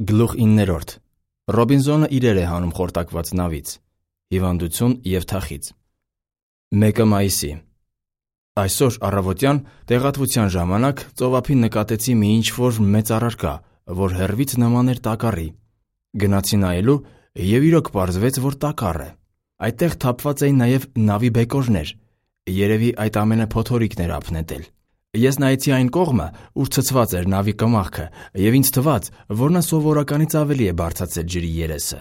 Գլուխ 9. Ռոբինզոնը իրեր է հանում խորտակված նավից։ Հիվանդություն և թախիծ։ 1 մայիսի։ Այսօր առավոտյան տեղատվության ժամանակ ծովափին նկատեցի մի ինչ-որ մեծ առարկա, որ հեռվից նման էր տակառի։ Գնացի նայելու և իրոք պարզվեց, որ տակառ է։ Այդտեղ թափված էին նաև նավի բեկորներ։ Երևի այդ ամենը փոթորիկն էր ափնետել։ Ես նայեցի այն կողմը, ուր ցցված էր նավի կմախքը, և ինձ թվաց, որ նա սովորականից ավելի է բարձրացել ջրի երեսը։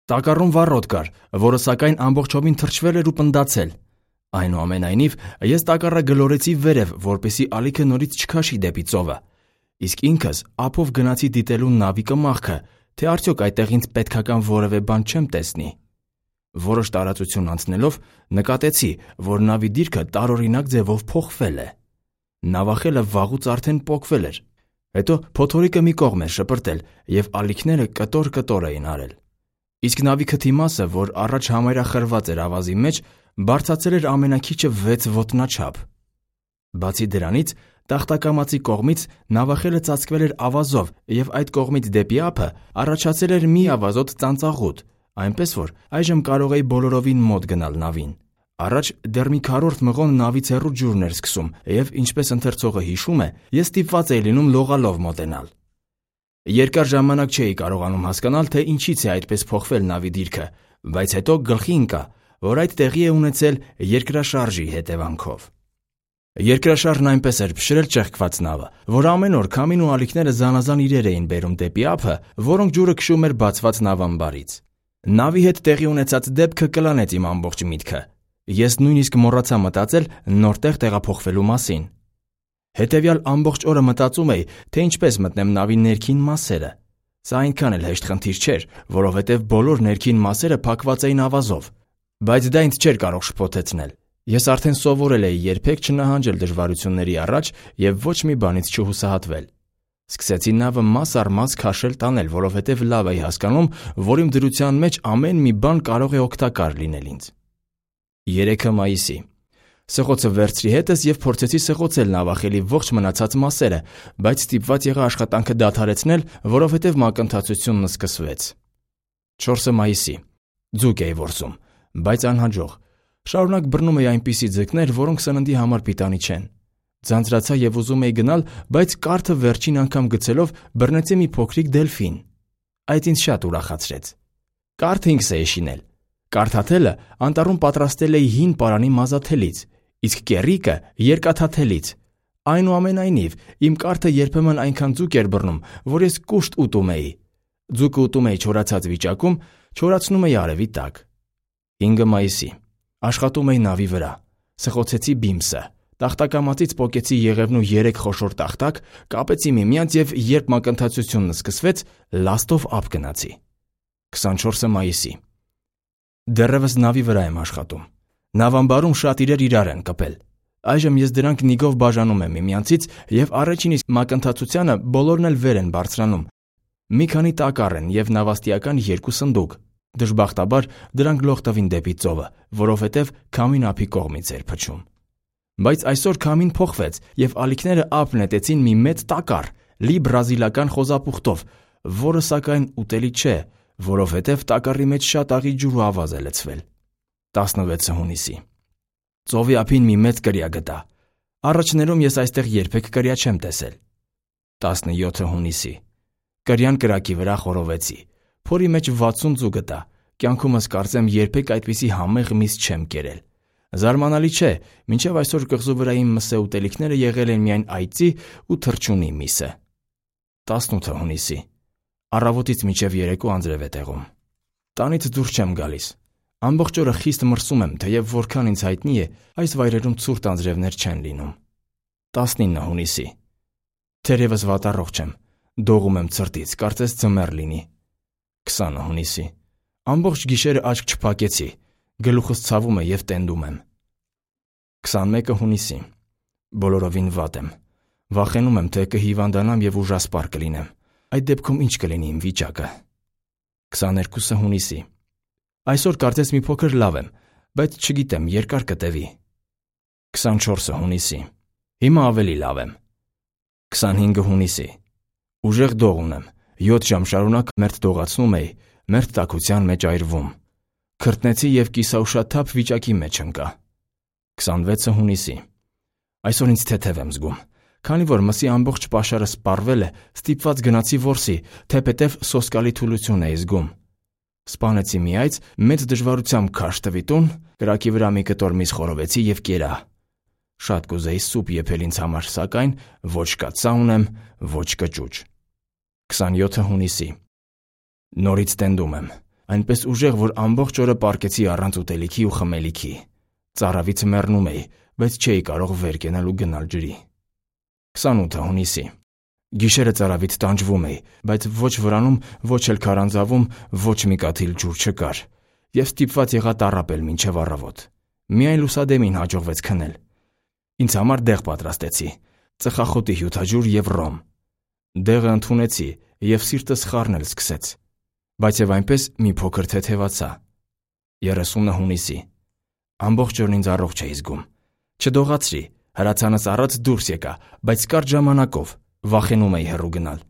Տակառում վառոդ կար, որը սակայն ամբողջովին թրջվել էր ու պնդացել։ Այնուամենայնիվ, ես տակառը գլորեցի վերև, որպեսզի ալիքը նորից չքաշի դեպի ծովը։ Իսկ ինքս ափով գնացի դիտելու նավի կմախքը, թե արդյոք այդտեղ ինձ պետքական որևէ բան չեմ տեսնի։ Որոշ տարածություն անցնելով նկատեցի, որ նավի դիրքը տարօրինակ ձևով փոխվել է։ Նավախելը վաղուց արդեն պոկվել էր։ Հետո փոթորիկը մի կողմ էր շպրտել, և ալիքները կտոր-կտոր էին արել։ Իսկ նավի քթի մասը, որ առաջ համարյա խրված էր ավազի մեջ, բարձրացել էր ամենաքիչը 6 ոտնաչափ։ Բացի դրանից, տախտակամածի կողմից նավախելը ծածկվել էր ավազով, և այդ կողմից դեպի ափը առաջացել էր մի ավազոտ ծանծաղուտ, այնպես որ այժմ կարող էի բոլորովին մոտ գնալ նավին։ Առաջ դեռ մի քառորդ մղոն նավից հեռու ջուրն էր սկսում, և ինչպես ընթերցողը հիշում է, ես ստիպված էի լինում լողալով մոտենալ։ Երկար ժամանակ չէի կարողանում հասկանալ, թե ինչից է այդպես փոխվել նավի դիրքը, բայց հետո գլխի ընկա, որ այդ տեղի է ունեցել երկրաշարժի հետևանքով։ Երկրաշարժն այնպես էր փշրել ճեղքված նավը, որ ամեն օր քամին ու ալիքները զանազան իրեր էին բերում դեպի ափը, որոնք ջուրը քշում էր բացված նավամբարից։ Նավի հետ տեղի ունեցած դեպքը կլանեց իմ ամբողջ միտքը։ Ես նույնիսկ մոռացա մտածել նոր տեղ տեղափոխվելու մասին։ Հետևյալ ամբողջ օրը մտածում էի, թե ինչպես մտնեմ նավի ներքին մասերը։ Սա այնքան էլ հեշտ խնդիր չէր, որովհետև բոլոր ներքին մասերը փակված էին ավազով։ Բայց դա ինձ չէր կարող շփոթեցնել։ Ես արդեն սովորել էի երբեք չնահանջել դժվարությունների առաջ և ոչ մի բանից չհուսահատվել։ Սկսեցի նավը մաս առ մաս քաշել տանել, որովհետև լավ էի հասկանում, որ իմ դրության մեջ ամեն մի բան կարող է օգտակար լինել ինձ։ 3 մայիսի։ Սղոցը վերցրի հետս և փորձեցի սղոցել նավախելի ողջ մնացած մասերը, բայց ստիպված եղա աշխատանքը դադարեցնել, որովհետև մակընթացությունն սկսվեց։ 4 մայիսի։ Ձուկ էի որսում, բայց անհաջող։ Շարունակ բռնում էի այնպիսի ձկներ, որոնք սննդի համար պիտանի չեն։ Ձանձրացա և ուզում էի գնալ, բայց կարթը վերջին անգամ գցելով բռնեցի մի փոքրիկ դելֆին։ Այդ ինձ շատ ուրախացրեց։ Կարթը ինքս էի շինել։ Կարթաթելը անտառում պատրաստել էի հին պարանի մազաթելից, իսկ կեռիկը երկաթաթելից։ Այնուամենայնիվ, իմ կարթը երբեմն այնքան ձուկ էր բռնում, որ ես կուշտ ուտում էի։ Ձուկը ուտում էի չորացած վիճակում, չորացնում էի արևի տակ։ 5 մայիսի։ Աշխատում էի նավի վրա։ Սղոցեցի բիմսը։ Տախտակամածից պոկեցի եղևնու 3 խոշոր տախտակ, կապեցի միմյանց և երբ մակընթացությունն սկսվեց, լաստով ափ գնացի։ 24 մայիսի։ Դեռևս նավի վրա եմ աշխատում։ Նավամբարում շատ իրար են կպել։ Այժմ ես դրանք նիգով բաժանում եմ միմյանցից և առաջին իսկ մակընթացությանը բոլորն էլ վեր են բարձրանում։ Մի քանի տակառ են և նավաստիական 2 սնդուկ։ Դժբախտաբար դրանք լող տվին դեպի ծովը, որովհետև քամին ափի կողմից էր փչում։ Բայց այսօր քամին փոխվեց, և ալիքները ափ նետեցին մի մեծ տակառ, լի բրազիլական խոզապուխտով, որը սակայն ուտելի չէ, որովհետև տակառի մեջ շատ աղի ջուր ու ավազ է լցվել։ 16 հունիսի։ Ծովի ափին մի մեծ կրիա գտա։ Առաջներում ես այստեղ երբեք կրիա չեմ տեսել։ 17 հունիսի։ Կրիան կրակի վրա խորովեցի։ Փորի մեջ 60 ձու գտա։ Կյանքումս կարծեմ երբեք այդպիսի համեղ միս չեմ կերել։ Զարմանալի չէ, մինչև այսօր կղզու վրա իմ մսե ուտելիքները եղել են միայն այծի ու թռչունի միսը։ 18 հունիսի։ Առավոտից մինչև երեկո անձրև է տեղում։ Տանից դուրս չեմ գալիս։ Ամբողջ օրը խիստ մրսում եմ, թեև որքան ինձ հայտնի է, այս վայրերում ցուրտ անձրևներ չեն լինում։ 19 հունիսի։ Թերևս վատառողջ եմ։ Դողում եմ ցրտից, կարծես ձմեռ լինի։ 20 հունիսի։ Ամբողջ գիշերը աչք չփակեցի։ Գլուխս ցավում է և տենդում եմ։ 21 հունիսի։ Բոլորովին վատ եմ։ Վախենում եմ, թե կհիվանդանամ և ուժասպառ կլինեմ։ Այդ դեպքում ինչ կլինի իմ վիճակը։ 22 հունիսի։ Այսօր կարծես մի փոքր լավ եմ, բայց չգիտեմ, երկար կտևի։ 24 հունիսի։ Հիմա ավելի լավ եմ։ 25 հունիսի։ Ուժեղ դող ունեմ 7 ժամ շարունակ մերթ դողացնում էի, մերթ տաքության մեջ այրվում։ Քրտնեցի և կիսաուշաթափ վիճակի մեջ ընկա։ 26 հունիսի։ Այսօր ինձ թեթև եմ զգում։ Քանի որ մսի ամբողջ պաշարը սպառվել է, ստիպված գնացի որսի, թեպետև սոսկալի թուլություն էի զգում։ Սպանեցի մի այծ, մեծ դժվարությամբ քաշ տվի տուն, կրակի վրա մի կտոր միս խորովեցի և կերա։ Շատ կուզեի սուպ եփել ինձ համար, սակայն ոչ կաթսա ունեմ, ոչ կճուճ։ 27 հունիսի։ Նորից տենդում եմ, այնպես ուժեղ, որ ամբողջ օրը պառկեցի առանց ուտելիքի ու խմելիքի։ Ծարավից մեռնում էի, բայց չէի կարող վեր կենալ ու գնալ ջրի։ 28 հունիսի։ Գիշերը ծարավից տանջվում էի, բայց ոչ վրանում, ոչ էլ քարանձավում ոչ մի կաթիլ ջուր չկար, և ստիպված եղա տառապել մինչև առավոտ։ Միայն լուսադեմին հաջողվեց քնել։ Ինձ համար դեղ պատրաստեցի՝ ծխախոտի հյութաջուր և ռոմ։ Դեղը ընդունեցի, և սիրտս խառնել սկսեց, բայց և այնպես մի փոքր թեթևացա։ 30 հունիսի։ Ամբողջ օրն ինձ առողջ էի զգում։ Չդողացրի, հրացանս առած դուրս եկա, բայց կարճ ժամանակով, վախենում էի հեռու գնալ։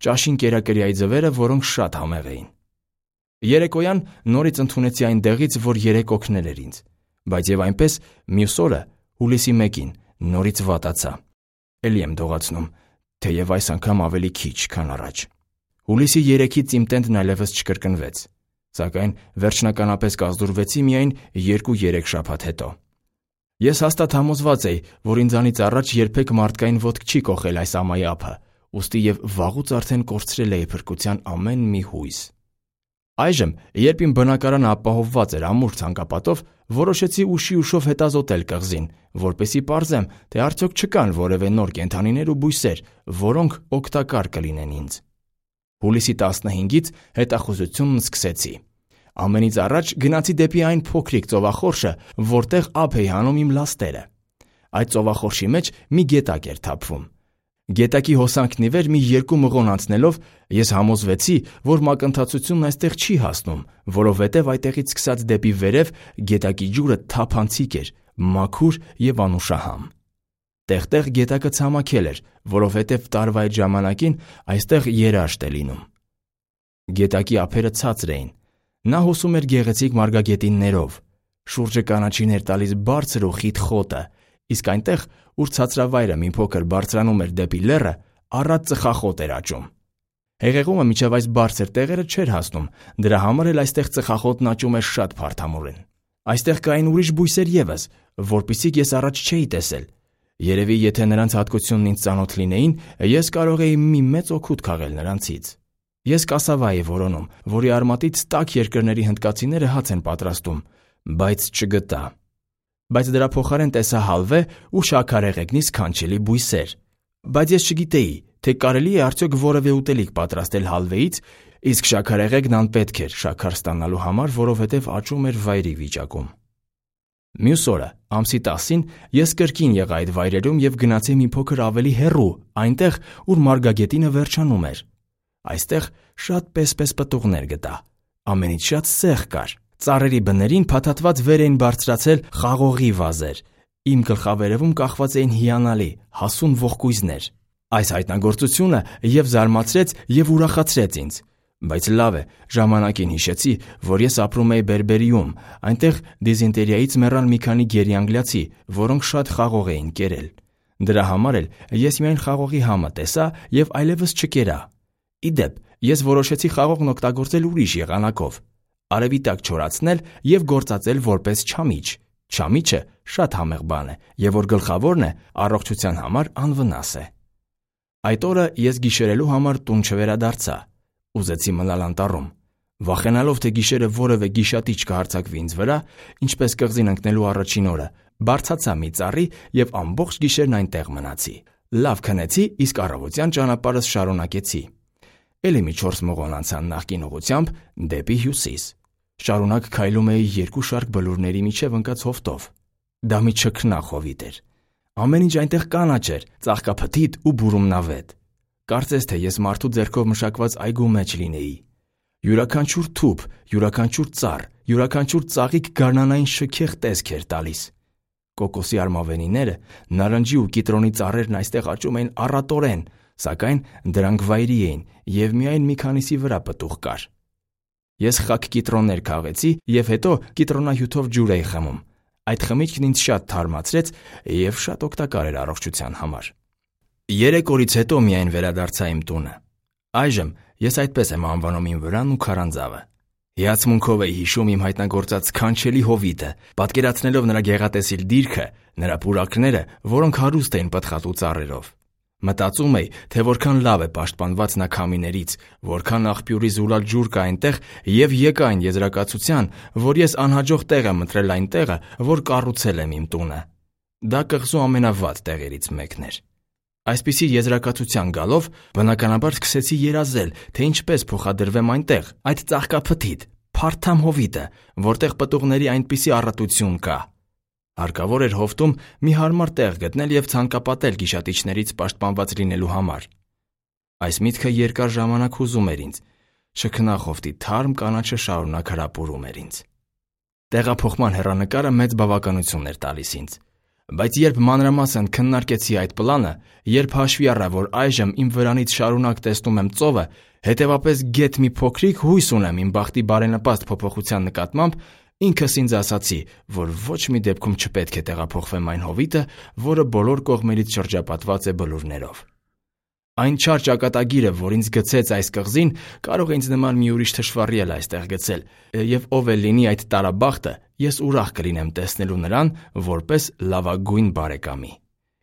Ճաշին կերա կրիայի ձվերը, որոնք շատ համեղ էին։ Երեկոյան նորից ընդունեցի այն դեղից, որ երեկ օգնել էր ինձ, բայց և այնպես մյուս օրը, հուլիսի 1-ին, նորից վատացա։ Էլի եմ դողացնում, թեև այս անգամ ավելի քիչ, քան առաջ։ Հուլիսի 3-ից իմ տենդն այլևս չկրկնվեց, սակայն վերջնականապես կազդուրվեցի միայն 2-3 շաբաթ հետո։ Ես հաստատ համոզված էի, որ ինձանից առաջ երբեք մարդկային ոտք չի կոխել այս ամայի ափը, ուստի և վաղուց արդեն կորցրել էի փրկության ամեն մի հույս։ Այժմ, երբ իմ բնակարանը ապահովված էր ամուր ցանկապատով, որոշեցի ուշի ուշով հետազոտել կղզին, որպեսզի պարզեմ, թե արդյոք չկան որևէ նոր կենդանիներ ու բույսեր, որոնք օգտակար կլինեն ինձ։ Հուլիսի 15-ից հետախուզությունն սկսեցի։ Ամենից առաջ գնացի դեպի այն փոքրիկ ծովախորշը, որտեղ ափ էի հանում իմ լաստերը։ Այդ ծովախորշի մեջ մի գետակ էր թափվում։ Գետակի հոսանքն ի վեր մի 2 մղոն անցնելով ես համոզվեցի, որ մակընթացությունն այստեղ չի հասնում, որովհետև այդտեղից սկսած դեպի վերև գետակի ջուրը թափանցիկ էր, մաքուր և անուշահամ։ Տեղ-տեղ գետակը ցամաքել էր, որովհետև տարվա այդ ժամանակին այստեղ երաշտ է լինում։ Գետակի ափերը ցածր էին։ Նա հոսում էր գեղեցիկ մարգագետիններով։ Շուրջը կանաչին էր տալիս բարձր ու խիտ խոտը, իսկ այնտեղ, ուր ցածրավայրը մի փոքր բարձրանում էր դեպի լեռը, առատ ծխախոտ էր աճում։ Հեղեղումը մինչև այս բարձր տեղերը չէր հասնում, դրա համար էլ այստեղ ծխախոտն աճում էր շատ փարթամուրեն։ Այստեղ կային ուրիշ բույսեր ևս, որպիսիք ես առաջ չէի տեսել։ Երևի եթե նրանց հատկությունն ինձ ծանոթ լինեին, ես կարող էի մի մեծ օգուտ քաղել նրանցից։ Ես կասավա էի որոնում, որի արմատից տաք երկրների հնդկացիները հաց են պատրաստում, բայց չգտա։ Բայց դրա փոխարեն տեսա հալվե ու շաքարեղեգնի սքանչելի բույսեր։ Բայց ես չգիտեի, թե կարելի է արդյոք որևէ ուտելիք պատրաստել հալվեից, իսկ շաքարեղեգն անպետք էր շաքար ստանալու համար, որովհետև աճում էր վայրի վիճակում։ Մյուս օրը, ամսի 10-ին, ես կրկին եղա այդ վայրերում և գնացի մի փոքր ավելի հեռու, այնտեղ, ուր մարգագետինը վերջանում էր։ Այստեղ շատ պես-պես պտուղներ գտա։ Ամենից շատ սեղ կար։ Ծառերի բներին փաթաթված վեր էին բարձրացել խաղողի վազեր։ Իմ գլխավերևում կախված էին հիանալի, հասուն ողկույզներ։ Այս հայտնագործությունը և զարմացրեց, և ուրախացրեց ինձ։ Բայց լավ է, ժամանակին հիշեցի, որ ես ապրում էի Բերբերիում, այնտեղ դիզենտերիայից մեռան մի քանի գերիանգլիացի, որոնք շատ խաղող էին կերել։ Դրա համար էլ ես միայն խաղողի համը տեսա և այլևս չկերա։ Ի դեպ, ես որոշեցի խաղողն օգտագործել ուրիշ եղանակով։ Արևի տակ չորացնել և գործածել որպես չամիչ։ Չամիչը շատ համեղ բան է, և որ գլխավորն է, առողջության համար անվնաս է։ Այդ օրը ես գիշերելու համար տուն չվերադարձա։ Ուզեցի մնալ անտառում։ Վախենալով, թե գիշերը որևէ գիշատիչ կհարձակվի ինձ վրա, ինչպես կղզին ընկնելու առաջին օրը, բարձացա մի ծառի և ամբողջ գիշերն այնտեղ մնացի։ Լավ քնեցի, իսկ առավոտյան ճանապարհս շարունակեցի։ Էլի մի 4 մղոն անցան նախկին ուղղությամբ դեպի հյուսիս։ Շարունակ քայլում էի 2 շարք բլուրների միջև ընկած հովտով։ Դա մի չքնաղ հովիտ էր։ Ամեն ինչ այնտեղ կանաչ էր, ծաղկափթիթ ու բուրումնավետ։ Կարծես թե ես մարդու ձեռքով մշակված այգու մեջ լինեի։ Յուրաքանչյուր թուփ, յուրաքանչյուր ծառ, յուրաքանչյուր ծաղիկ գարնանային շքեղ տեսք էր տալիս։ Կոկոսի արմավենիները, նարնջի ու կիտրոնի ծառերն այստեղ աճում էին առատորեն, սակայն դրանք վայրի էին և միայն մի քանիսի վրա պտուղ կար։ Ես խաք կիտրոններ քաղեցի և հետո կիտրոնահյութով ջուր էի խմում։ Այդ խմիչքն ինձ շատ թարմացրեց և շատ օգտակար էր առողջության համար։ 3 օրից հետո միայն վերադարձա իմ տունը։ Այժմ ես այդպես եմ անվանում իմ վրան ու քարանձավը։ Հիացմունքով էի հիշում իմ հայտնագործած սքանչելի հովիտը, պատկերացնելով նրա գեղատեսիլ դիրքը, նրա պուրակները, որոնք հարուստ էին պտղատու ծառերով։ Մտածում էի, թե որքան լավ է պաշտպանված նա քամիներից, որքան աղբյուրի զուլալ ջուր կա այնտեղ, և եկա այն եզրակացության, որ ես անհաջող տեղ եմ ընտրել այն տեղը, որ կառուցել եմ իմ տունը։ Դա կղզու ամենավատ տեղերից մեկն էր։ Այսպիսի եզրակացության գալով, բնականաբար սկսեցի երազել, թե ինչպես փոխադրվեմ այնտեղ, այդ ծաղկափթիթ, փարթամ հովիտը, որտեղ պտուղների այնպիսի առատություն կա։ Հարկավոր էր հովտում մի հարմար տեղ գտնել և ցանկապատել գիշատիչներից պաշտպանված լինելու համար։ Այս միտքը երկար ժամանակ հուզում էր ինձ, շքնախովտի թարմ կանաչը շարունակ հրապուրում էր ինձ։ Տեղափոխման հեռանկարը մեծ բավականություն էր տալիս ինձ։ Բայց երբ մանրամասն քննարկեցի այդ պլանը, երբ հաշվի առա, որ այժմ իմ վրանից շարունակ տեսնում եմ ծովը, հետևապես գեթ մի փոքրիկ հույս ունեմ իմ բախտի բարենպաստ փոփոխության նկատմամբ, ինքս ինձ ասացի, որ ոչ մի դեպքում չպետք է տեղափոխվեմ այն հովիտը, որը բոլոր կողմերից շրջապատված է բլուրներով։ Այն չար ճակատագիրը, որ ինձ գցեց այս կղզին, կարող է ինձ նման մի ուրիշ թշվառի էլ այստեղ գցել, և ով էլ լինի այդ տարաբախտը, ես ուրախ կլինեմ տեսնելու նրան որպես լավագույն բարեկամի։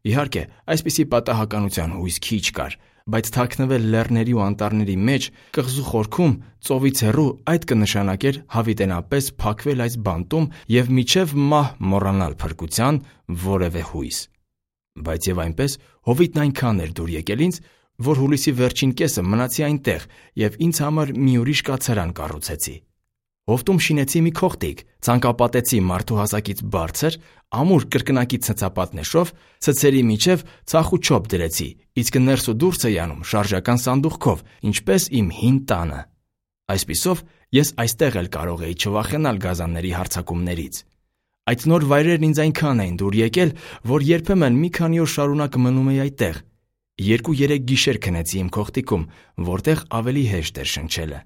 Իհարկե, այսպիսի պատահականության հույս քիչ կար, բայց թաքնվել լեռների ու անտառների մեջ, կղզու խորքում, ծովից հեռու, այդ կնշանակեր հավիտենապես փակվել այս բանտում և մինչև մահ մոռանալ փրկության որևէ հույս։ Բայց և այնպես, հովիտն այնքան էր դուր եկել ինձ, որ հուլիսի վերջին կեսը մնացի այնտեղ և ինձ համար մի ուրիշ կացարան կառուցեցի։ Հովտում շինեցի մի քողտիկ, ցանկապատեցի մարդու հասակից բարձր, ամուր կրկնակի ցցապատնեշով, ցցերի միջև ցախ ու չոփ դրեցի, իսկ ներս ու դուրս էի անում շարժական սանդուղքով, ինչպես իմ հին տանը։ Այսպիսով, ես այստեղ էլ կարող էի չվախենալ գազանների հարձակումներից։ Այդ նոր վայրերն ինձ այնքան էին դուր եկել, որ երբեմն մի քանի օր շարունակ մնում էի այդտեղ։ 2-3 գիշեր քնեցի իմ քողտիկում, որտեղ ավելի հեշտ էր շնչելը։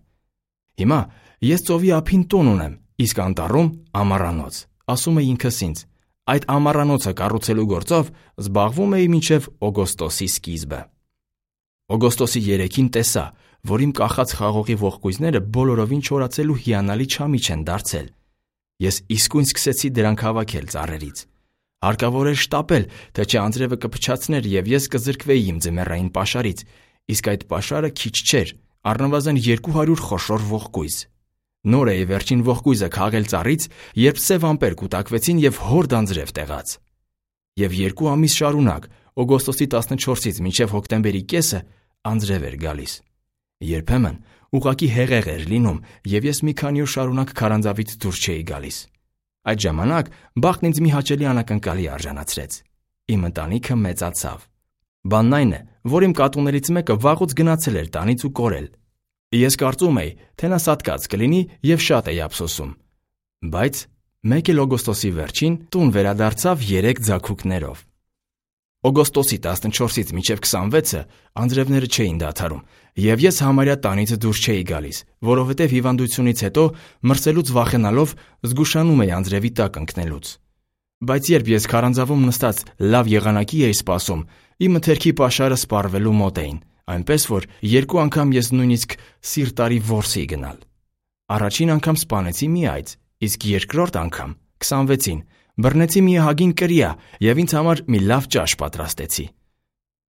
Հիմա ես ծովի ափին տուն ունեմ, իսկ անտառում ամառանոց, ասում էի ինքս ինձ։ Այդ ամառանոցը կառուցելու գործով զբաղվում էի մինչև օգոստոսի սկիզբը։ Օգոստոսի 3-ին տեսա, որ իմ կախած խաղողի ողկույզները բոլորովին չորացել ու հիանալի չամիչ են դարձել։ Ես իսկույն սկսեցի դրանք հավաքել ծառերից։ Հարկավոր էր շտապել, թե չէ անձրևը կփչացներ և ես կզրկվեի իմ ձմեռային պաշարից, իսկ այդ պաշարը քիչ չէր, առնվազն 200 խոշոր ողկույզ։ Նոր էի վերջին ողկույզը քաղել ծառից, երբ սև ամպեր կուտակվեցին և հորդ անձրև տեղաց։ Եվ 2 ամիս շարունակ, օգոստոսի 14-ից մինչև հոկտեմբերի կեսը, անձրև էր գալիս։ Երբեմն ուղղակի հեղեղ էր լինում, և ես մի քանի օր շարունակ քարանձավից դուրս չէի գալիս։ Այդ ժամանակ բախտն ինձ մի հաճելի անակնկալի արժանացրեց։ Իմ ընտանիքը մեծացավ։ Բանն այն է, որ իմ կատուներից մեկը վաղուց գնացել էր տանից ու կորել։ Ես կարծում էի, թե նա սատկած կլինի և շատ էի ափսոսում։ Բայց մեկ էլ օգոստոսի վերջին տուն վերադարձավ 3 ձագուկներով։ Օգոստոսի 14-ից մինչև 26-ը անձրևները չէին դադարում, և ես համարյա տանից դուրս չէի գալիս, որովհետև հիվանդությունից հետո մրսելուց վախենալով զգուշանում էի անձրևի տակ ընկնելուց։ Բայց երբ ես քարանձավում նստած լավ եղանակի էի սպասում, իմ մթերքի պաշարը սպառվելու մոտ էին, այնպես որ 2 անգամ ես նույնիսկ սիրտ արի որսի գնալ։ Առաջին անգամ սպանեցի մի այծ, իսկ երկրորդ անգամ 26-ին բռնեցի մի ահագին կրիա և ինձ համար մի լավ ճաշ պատրաստեցի։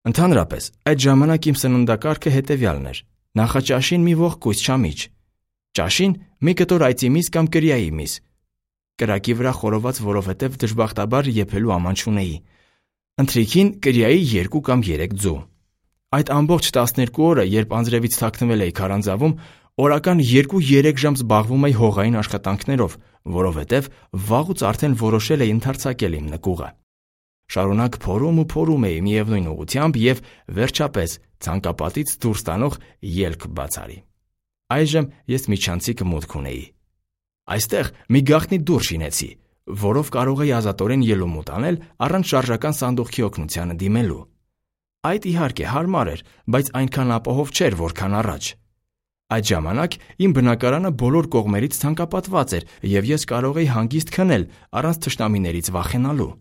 Ընդհանրապես, այդ ժամանակ իմ սննդակարգը հետևյալն էր. նախաճաշին մի ողկույզ չամիչ, ճաշին մի կտոր այծի միս կամ կրիայի միս, կրակի վրա խորոված, որովհետև դժբախտաբար եփելու աման չունեի, ընթրիքին կրիայի 2 կամ 3 ձու։ Այդ ամբողջ 12 օրը, երբ անձրևից թաքնվել էի քարանձավում, օրական 2-3 ժամ զբաղվում էի հողային աշխատանքներով, որովհետև վաղուց արդեն որոշել էի ընդարձակել իմ նկուղը։ Շարունակ փորում էի միևնույն ուղղությամբ և վերջապես ցանկապատից դուրս տանող ելք բացարի։ Այժմ ես միջանցիկ մուտք ունեի։ Այստեղ մի գաղտնի դուռ շինեցի, որով կարող էի ազատորեն ելումուտ անել առանց շարժական սանդուղքի օգնությանը դիմելու։ Այդ իհարկե հարմար էր, բայց այնքան ապահով չէր, որքան առաջ։ Այդ ժամանակ իմ բնակարանը բոլոր կողմերից ցանկապատված էր, եւ ես կարող էի հանգիստ քնել առանց թշնամիներից վախենալու։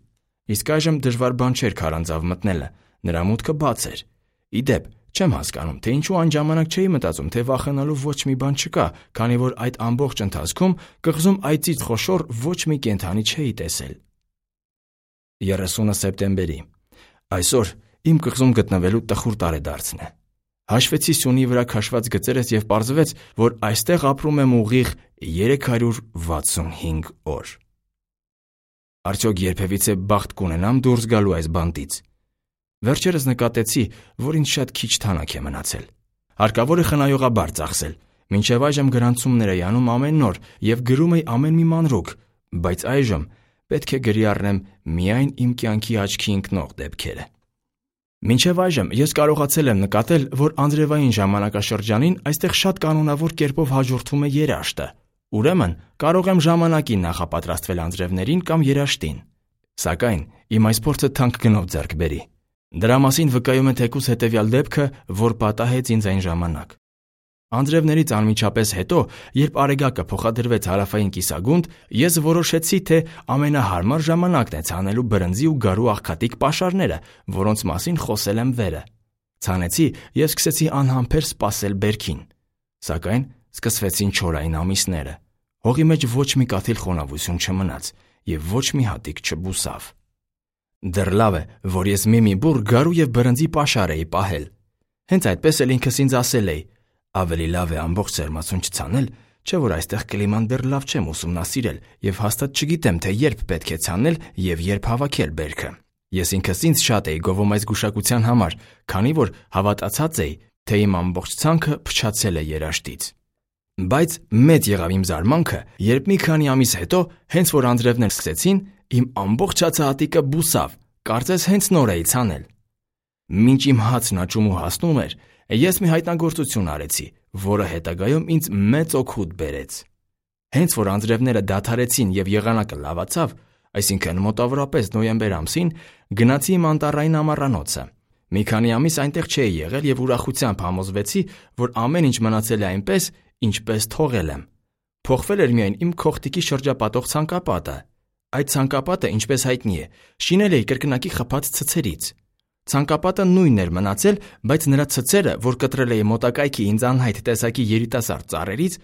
Իսկ այժմ դժվար բան չէր քարանձավ մտնելը, նրա մուտքը բաց էր։ Ի դեպ, չեմ հասկանում, թե ինչու այն ժամանակ չէի մտածում, թե վախենալու ոչ մի բան չկա, քանի որ այդ ամբողջ ընթացքում կղզում այծից խոշոր ոչ մի կենդանի չէի տեսել։ 30 սեպտեմբերի։ Այսօր իմ կղզում գտնվելու տխուր տարեդարձն է։ Հաշվեցի սյունի վրա քաշված գծերս եւ պարզվեց, որ այստեղ ապրում եմ ուղիղ 365 օր։ Արդյոք երբևիցե բախտ կունենամ դուրս գալու այս բանտից։ Վերջերս նկատեցի, որ ինձ շատ քիչ թանաք է մնացել։ Հարկավոր է խնայողաբար ծախսել։ Մինչև այժմ գրանցումներ էի անում ամեն օր եւ գրում էի ամեն մի մանրուք, բայց այժմ պետք է գրի առնեմ միայն իմ կյանքի աչքի ընկնող դեպքերը։ Մինչև այժմ ես կարողացել եմ նկատել, որ անձրևային ժամանակաշրջանին այստեղ շատ կանոնավոր կերպով հաջորդվում է երաշտը։ Ուրեմն կարող եմ ժամանակին նախապատրաստվել անձրևներին կամ երաշտին։ Սակայն իմ այս փորձը թանկ գնով ձեռք բերի։ Դրա մասին վկայում է թեկուզ հետևյալ դեպքը, որ պատահեց ինձ այն ժամանակ։ Անձրևներից անմիջապես հետո, երբ Արեգակը փոխադրվեց հարավային կիսագունդ, ես որոշեցի, թե ամենահարմար ժամանակն է ցանելու բրնձի ու գարու աղքատիկ պաշարները, որոնց մասին խոսել եմ վերը։ Ցանեցի եւ սկսեցի անհամբեր սպասել բերքին։ Սակայն սկսվեցին չորային ամիսները։ Հողի մեջ ոչ մի կաթիլ խոնավություն չմնաց եւ ոչ մի հատիկ չբուսավ։ Դեռ լավ է, որ ես մի բուռ գարու եւ բրնձի պաշար էի պահել։ Հենց այդպես էլ ինքս ինձ ասել էի. ավելի լավ է ամբողջ սերմացուն չցանել, չէ՞ որ այստեղ կլիման դեռ լավ չեմ ուսումնասիրել եւ հաստատ չգիտեմ, թե երբ պետք է ցանել եւ երբ հավաքել բերքը։ Ես ինքս ինձ շատ էի գովում այս գուշակության համար, քանի որ հավատացած էի, թե իմ ամբողջ ցանքը փչացել է երաշտից։ Բայց մեծ եղավ իմ զարմանքը, երբ մի քանի ամիս հետո, հենց որ անձրևներ սկսեցին, իմ ամբողջ հացահատիկը բուսավ, կարծես հենց նոր էի ցանել։ Մինչ իմ հացն աճում ու հասնում էր, ես մի հայտնագործություն արեցի, որը հետագայում ինձ մեծ օգուտ բերեց։ Հենց որ անձրևները դադարեցին եւ եղանակը լավացավ, այսինքն մոտավորապես նոյեմբեր ամսին, գնացի իմ անտառային ամառանոցը։ Մի քանի ամիս այնտեղ չէի եղել եւ ուրախությամբ համոզվեցի, որ ամեն ինչ մնացել է այնպես, ինչպես թողել եմ։ Փոխվել էր միայն իմ քողտիկի շրջապատող ցանկապատը։ Այդ ցանկապատը, ինչպես հայտնի է, շինել էի կրկնակի խփած ցցերից։ Ցանկապատը նույնն էր մնացել, բայց նրա ցցերը, որ կտրել էի մոտակայքի ինձ անհայտ տեսակի երիտասարդ ծառերից,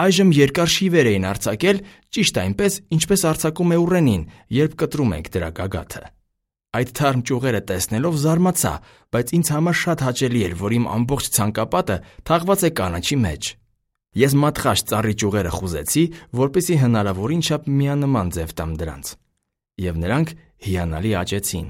այժմ երկար շիվեր էին արձակել, ճիշտ այնպես, ինչպես արձակում է ուռենին, երբ կտրում ենք դրա գագաթը։ Այդ թարմ ճյուղերը տեսնելով զարմացա, բայց ինձ համար շատ հաճելի էր, որ իմ ամբողջ ցանկապատը թաղված է կանաչի մեջ։ Ես մատղաշ ծառի ճյուղերը խուզեցի, որպեսզի հնարավորին չափ միանման ձև տամ դրանց։ Եվ նրանք հիանալի աճեցին։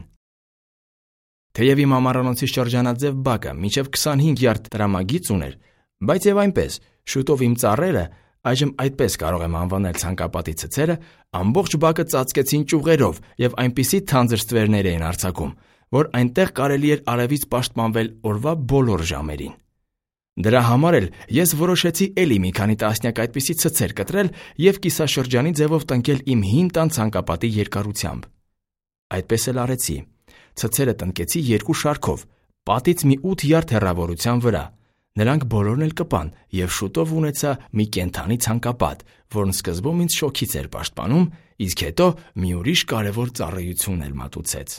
Թեև իմ ամառանոցի շրջանաձև բակը մինչև 25 յարդ տրամագիծ ուներ, բայց եւ այնպես, շուտով իմ ծառերը, այժմ այդպես կարող եմ անվանել ցանկապատի ցցերը, ամբողջ բակը ծածկեցին ճյուղերով եւ այնպիսի թանձր ստվերներ էին արձակում, որ այնտեղ կարելի էր արևից պաշտպանվել օրվա բոլոր ժամերին։ Դրա համար էլ ես որոշեցի էլի մի քանի տասնյակ այդպիսի ցցեր կտրել եւ կիսաշրջանի ձևով տնկել իմ հին տան ցանկապատի երկարությամբ։ Այդպես էլ արեցի։ Ցցերը տնկեցի երկու շարքով, պատից մի 8 յարդ հեռավորության վրա։ Նրանք բոլորն էլ կպան եւ շուտով ունեցա մի կենդանի ցանկապատ, որն սկզբում ինձ շոքից էր պաշտպանում, իսկ հետո մի ուրիշ կարևոր ծառայություն էլ մատուցեց։